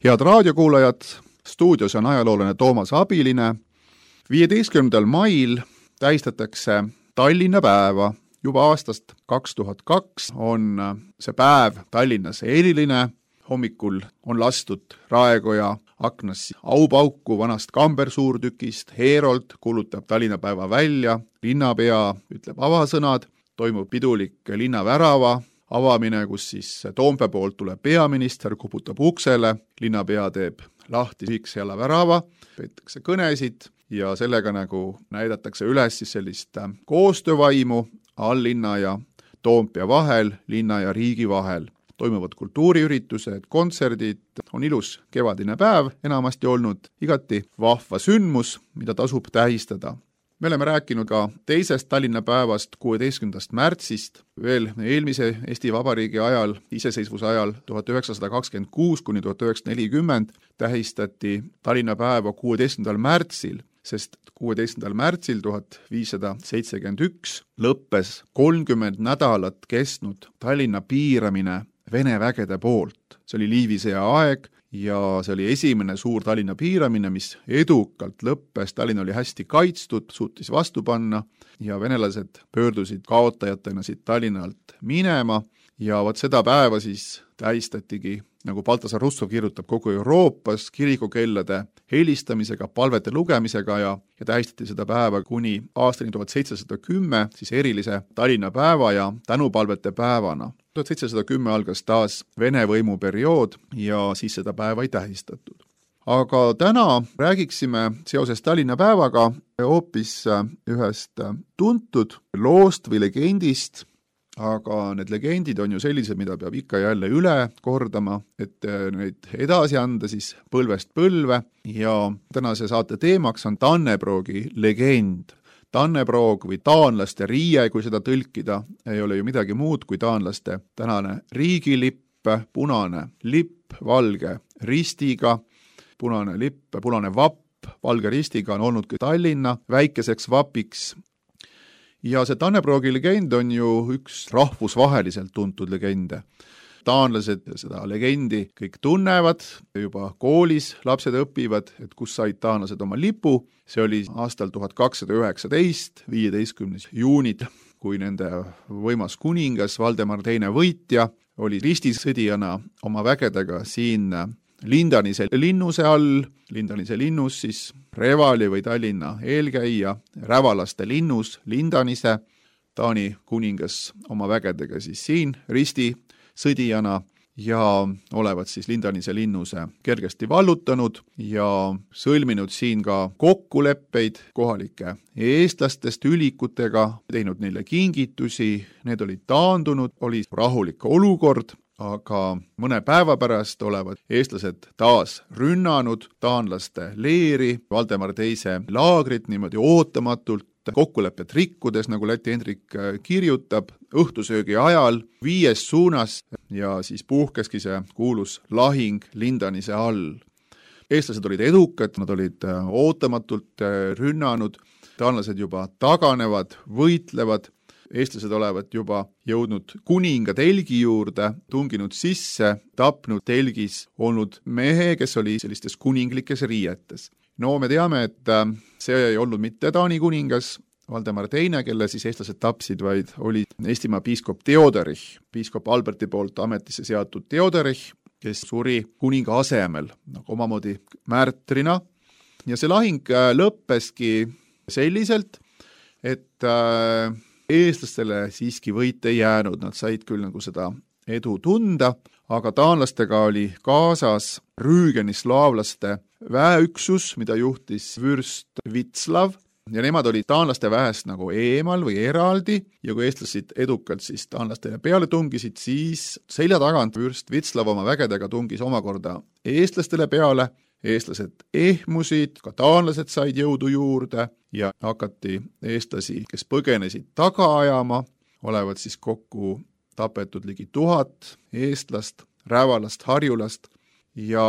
Head raadiokuulajad, stuudios on ajaloolane Toomas Abiline. 15. mail tähistatakse Tallinna päeva. Juba aastast 2002 on see päev Tallinnas eriline. Hommikul on lastud Raekoja aknas aupauku vanast kambersuurtükist. Heerold kuulutab Tallinna päeva välja. Linnapea ütleb avasõnad. Toimub pidulik linnavärava avamine, kus siis Toompea poolt tuleb peaminister, kuputab uksele. Linnapea teeb lahti Viiksjala värava, peetakse kõnesid ja sellega nagu näidatakse üles siis sellist koostöövaimu alllinna ja Toompea vahel, linna ja riigi vahel. Toimuvad kultuuriüritused, kontserdid, on ilus kevadine päev enamasti olnud, igati vahva sündmus, mida tasub tähistada. Me oleme rääkinud ka teisest Tallinna päevast 16. märtsist, veel eelmise Eesti Vabariigi ajal, iseseisvuse ajal 1926 kuni 1940 tähistati Tallinna päeva 16. märtsil, sest 16. märtsil 1571 lõppes 30 nädalat kestnud Tallinna piiramine Vene vägede poolt. See oli Liivi sõja aeg ja see oli esimene suur Tallinna piiramine, mis edukalt lõppes. Tallinn oli hästi kaitstud, suutis vastu panna ja venelased pöördusid kaotajatena siit Tallinnalt minema ja vot seda päeva siis tähistatigi, nagu Baltasar Russov kirjutab, kogu Euroopas kirikukellade helistamisega, palvete lugemisega ja tähistati seda päeva kuni aastani 1710 siis erilise Tallinna päeva ja tänupalvete päevana. 1710 algas taas Vene võimu periood ja siis seda päeva ei tähistatud. Aga täna räägiksime seoses Tallinna päevaga hoopis ühest tuntud loost või legendist, aga need legendid on ju sellised, mida peab ikka jälle üle kordama, et neid edasi anda siis põlvest põlve ja tänase saate teemaks on Tannebroogi legend. Tannebrog või taanlaste riie, kui seda tõlkida, ei ole ju midagi muud kui taanlaste tänane riigilipp, punane lipp, valge ristiga, punane lipp, punane vapp, valge ristiga on olnud ka Tallinna väikeseks vapiks. Ja see Tannebroogi legend on ju üks rahvusvaheliselt tuntud legende. Taanlased seda legendi kõik tunnevad, juba koolis lapsed õpivad, et kus said taanlased oma lipu. See oli aastal 1219, 15. juunid, kui nende võimas kuningas Valdemar II võitja oli ristisõdijana oma vägedega siin Lindanise linnuse all. Lindanise linnus siis Revali või Tallinna eelkäija, Rävalaste linnus Lindanise, Taani kuningas oma vägedega siis siin ristisõdijana ja olevat siis Lindanise linnuse kergesti vallutanud ja sõlminud siin ka kokkuleppeid kohalike eestlastest ülikutega, teinud neile kingitusi, need olid taandunud, oli rahulik olukord, aga mõne päeva pärast olevat eestlased taas rünnanud taanlaste leeri, Valdemar II laagrit niimoodi ootamatult, kokkulepet rikkudes, nagu Läti Hendrik kirjutab, õhtusöögi ajal 5 suunas ja siis puhkeski see kuulus lahing Lindanise all. Eestlased olid edukad, nad olid ootamatult rünnanud, taanlased juba taganevad, võitlevad, eestlased olevat juba jõudnud kuninga telgi juurde, tunginud sisse, tapnud telgis olnud mehe, kes oli sellistes kuninglikes riietes. No me teame, et see ei olnud mitte Taani kuningas Valdemar II, kelle siis eestlased tapsid, vaid oli Eestimaa piiskop Theodorich, piiskop Alberti poolt ametisse seatud Theodorich, kes suri kuninga asemel, nagu omamoodi märtrina. Ja see lahing lõppeski selliselt, et eestlastele siiski võit ei jäänud, nad said küll nagu seda edu tunda, aga taanlastega oli kaasas rüügenislaavlaste väeüksus, mida juhtis vürst Vitslav ja nemad olid taanlaste väest nagu eemal või eraldi ja kui eestlased edukalt siis taanlastele peale tungisid, siis selja tagant vürst Vitslav oma vägedega tungis omakorda eestlastele peale. Eestlased ehmusid, ka taanlased said jõudu juurde ja hakati eestlasi, kes põgenesid taga ajama, olevat siis kokku tapetud ligi 1000 eestlast, Rävalast, Harjulast ja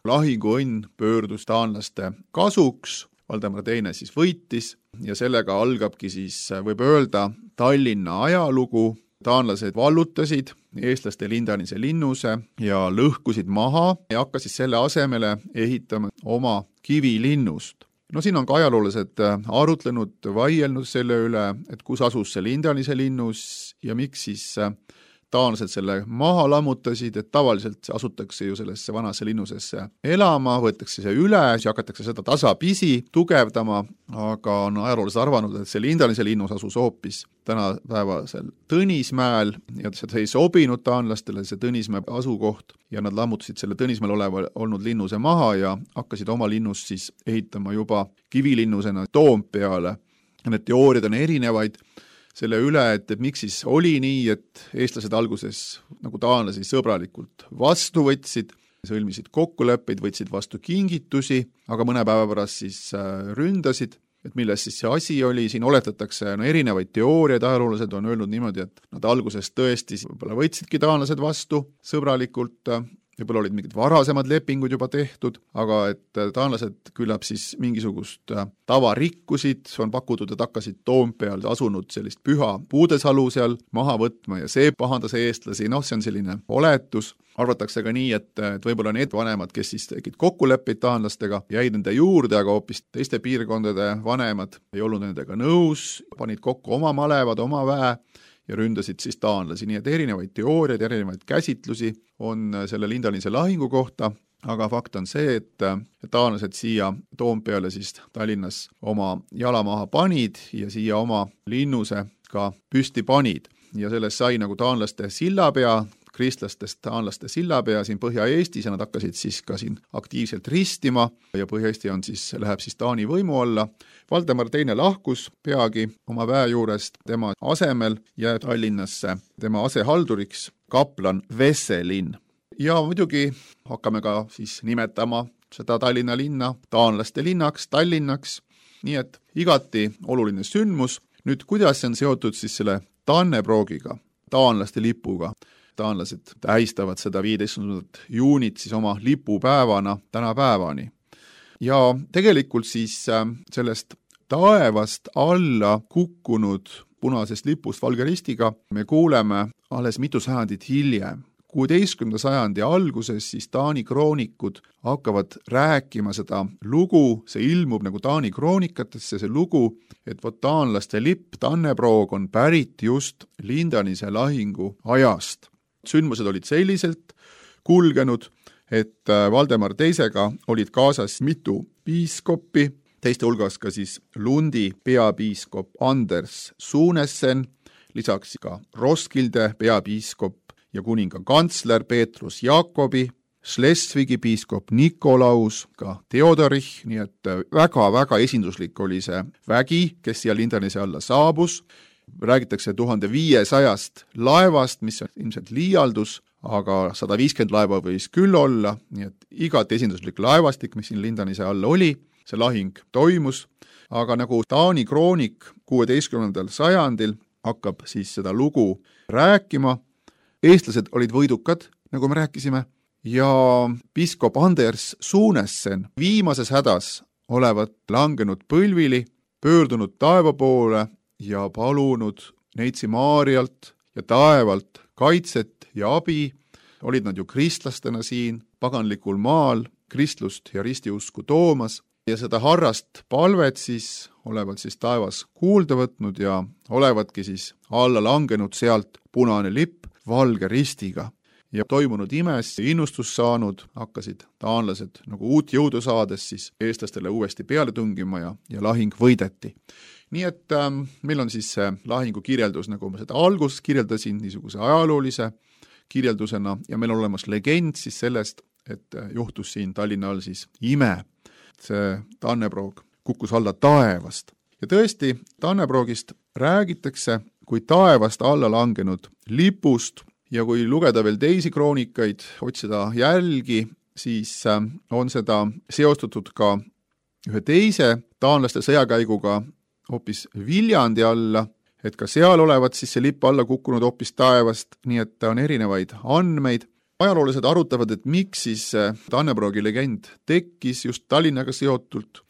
lahinguõnn pöördus taanlaste kasuks. Valdemar II siis võitis ja sellega algabki siis, võib öelda, Tallinna ajalugu taanlased vallutasid eestlaste Lindanise linnuse ja lõhkusid maha ja hakkasid selle asemele ehitama oma kivilinnust. No siin on ka ajaloolased arutlenud, vaielnud selle üle, et kus asus see Lindanise linnus ja miks siis taanlased selle maha lammutasid, et tavaliselt asutakse ju sellesse vanasse linnusesse elama, võetakse see üle, siis hakatakse seda tasapisi tugevdama, aga on ajaloolased arvanud, et see Lindanise linnus asus hoopis tänapäevasel Tõnismäel ja see ei sobinud taanlastele, see Tõnismäe asukoht, ja nad lammutasid selle Tõnismäel olnud linnuse maha ja hakkasid oma linnust siis ehitama juba kivilinnusena Toompeale. Need teooriad on erinevaid selle üle, et miks siis oli nii, et eestlased alguses nagu taanlasi sõbralikult vastu võtsid, sõlmisid kokkuleppeid, võtsid vastu kingitusi, aga mõne päeva pärast siis ründasid, et milles siis see asi oli, siin oletatakse erinevaid teooriaid, ajaloolased on öelnud niimoodi, et nad alguses tõesti võib-olla võtsidki taanlased vastu sõbralikult, võib-olla olid mingid varasemad lepingud juba tehtud, aga et taanlased küllap siis mingisugust tava rikkusid, on pakutud, et hakkasid Toompeal asunud sellist püha Puudesalu seal maha võtma ja see pahandas eestlasi, see on selline oletus. Arvatakse ka nii, et võib-olla need vanemad, kes siis tegid kokkuleppeid taanlastega, jäid nende juurde, aga hoopis teiste piirkondade vanemad ei olnud nendega nõus, panid kokku oma malevad, oma väe ja ründasid siis taanlasi, nii et erinevaid teooriaid, erinevaid käsitlusi on selle Lindanise lahingu kohta, aga fakt on see, et taanlased siia Toompeale siis Tallinnas oma jala maha panid ja siia oma linnuse ka püsti panid ja sellest sai nagu taanlaste sillapea, kristlastest taanlaste sillapea siin Põhja-Eestis ja nad hakkasid siis ka siin aktiivselt ristima ja Põhja-Eesti läheb siis Taani võimu alla. Valdemar II lahkus peagi oma väe juurest, tema asemel jääb Tallinnasse tema asehalduriks kaplan Vesselin. Ja muidugi hakkame ka siis nimetama seda Tallinna linna taanlaste linnaks, Tallinnaks, nii et igati oluline sündmus. Nüüd, kuidas see on seotud siis selle Tannebroogiga, taanlaste lipuga? Taanlased tähistavad seda 15. juunit siis oma lipupäevana tänapäevani. Ja tegelikult siis sellest taevast alla kukkunud punasest lipust valge ristiga me kuuleme alles mitu sajandit hiljem. 16. sajandi alguses siis Taani kroonikud hakkavad rääkima seda lugu, see ilmub nagu Taani kroonikatesse, see lugu, et taanlaste lipp Tanneproog on pärit just Lindanise lahingu ajast. Sündmused olid selliselt kulgenud, et Valdemar II-ga olid kaasas mitu piiskoppi, teiste hulgas ka siis Lundi peapiiskop Anders Suunessen, lisaks ka Roskilde peapiiskop ja kuninga kantsler Peetrus Jaakobi, Schleswigi piiskop Nikolaus, ka Theodorich, nii et väga-väga esinduslik oli see vägi, kes siia Lindanise alla saabus. Räägitakse 1500 laevast, mis on ilmselt liialdus, aga 150 laeva võis küll olla, nii et igat esinduslik laevastik, mis siin Lindanise all oli, see lahing toimus, aga nagu Taani kroonik 16. sajandil hakkab siis seda lugu rääkima, eestlased olid võidukad, nagu me rääkisime, ja piiskop Anders Suunessen viimases hädas olevat langenud põlvili, pöördunud taeva poole ja palunud Neitsi Maarialt ja taevalt kaitset ja abi, olid nad ju kristlastena siin paganlikul maal kristlust ja ristiusku toomas ja seda harrast palvet siis olevat siis taevas kuulda võtnud ja olevatki siis alla langenud sealt punane lipp valge ristiga. Ja toimunud imes innustus saanud, hakkasid taanlased nagu uut jõudu saades siis eestlastele uuesti peale tungima ja lahing võideti. Nii et meil on siis see lahingu kirjeldus, nagu ma seda alguses kirjeldasin, niisuguse ajaloolise kirjeldusena ja meil on olemas legend siis sellest, et juhtus siin Tallinna all siis ime. See Tanneproog kukkus alla taevast. Ja tõesti, Tanneproogist räägitakse kui taevast alla langenud lipust ja kui lugeda veel teisi kroonikaid, otsida jälgi, siis on seda seostatud ka ühe teise taanlaste sõjakäiguga hoopis Viljandi alla, et ka seal olevat siis see lipp alla kukkunud hoopis taevast, nii et on erinevaid andmeid. Ajaloolased arutavad, et miks siis Tanneproogi legend tekkis just Tallinnaga seotult.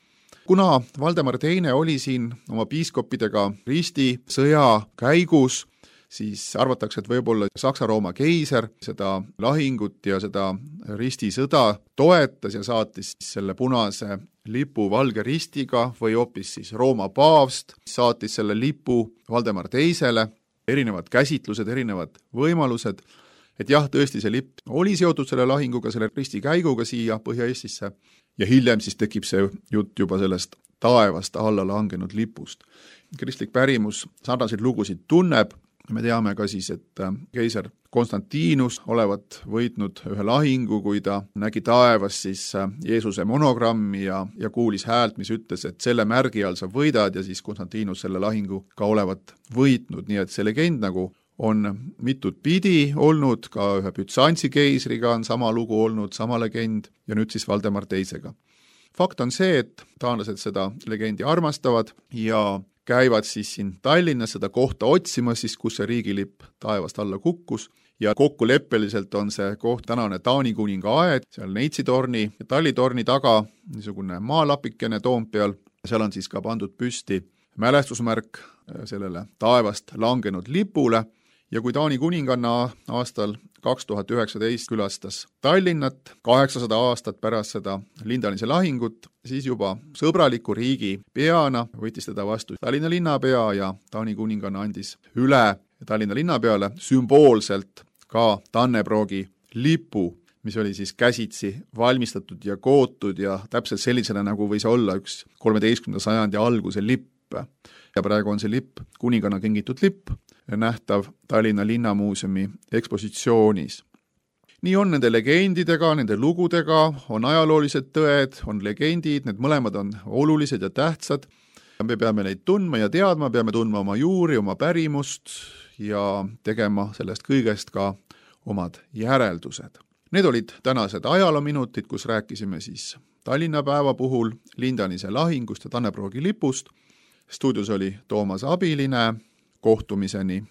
Kuna Valdemar II oli siin oma piiskoppidega risti sõja käigus, siis arvatakse, et võib-olla Saksa-Rooma keiser seda lahingut ja seda ristisõda toetas ja saatis selle punase lipu valge ristiga või hoopis siis Rooma paavst saatis selle lipu Valdemar Teisele, erinevad käsitlused, erinevad võimalused, et jah, tõesti see lipp oli seotud selle lahinguga, selle ristikäiguga siia Põhja-Eestisse ja hiljem siis tekib see jutt juba sellest taevast alla langenud lipust. Kristlik pärimus sarnaseid lugusid tunneb, me teame ka siis, et keiser Konstantinus olevat võitnud ühe lahingu, kui ta nägi taevas siis Jeesuse monogrammi ja kuulis häält, mis ütles, et selle märgi all sa võidad ja siis Konstantinus selle lahingu ka olevat võitnud, nii et see legend nagu on mitut pidi olnud, ka ühe Bütsantsi keisriga on sama lugu olnud, sama legend ja nüüd siis Valdemar Teisega. Fakt on see, et taanlased seda legendi armastavad ja käivad siis siin Tallinnas seda kohta otsimas, siis kus see riigilipp taevast alla kukkus ja kokkuleppeliselt on see koht tänane Taani kuninga aed, seal Neitsi-torni ja Talli-torni taga, niisugune maalapikene Toompeal, seal on siis ka pandud püsti mälestusmärk sellele taevast langenud lipule ja kui Taani kuninganna aastal 2019 külastas Tallinnat 800 aastat pärast seda Lindanise lahingut, siis juba sõbraliku riigi peana võttis teda vastu Tallinna linnapea ja Taani kuninganna andis üle Tallinna linnapeale sümboolselt ka Tannebroogi lipu, mis oli siis käsitsi valmistatud ja kootud ja täpselt sellisena, nagu võis olla üks 13. sajandi alguse lipp. Ja praegu on see lipp kuninganna kingitud lipp, nähtav Tallinna Linnamuuseumi ekspositsioonis. Nii on nende legendidega, nende lugudega, on ajaloolised tõed, on legendid, need mõlemad on olulised ja tähtsad. Me peame neid tundma ja teadma, peame tundma oma juuri, oma pärimust ja tegema sellest kõigest ka omad järeldused. Need olid tänased ajaloominutid, kus rääkisime siis Tallinna päeva puhul Lindanise lahingust ja Tannebroogi lipust. Stuudios oli Toomas Abiline, kohtumiseni.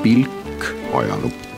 Pilk ajalukku.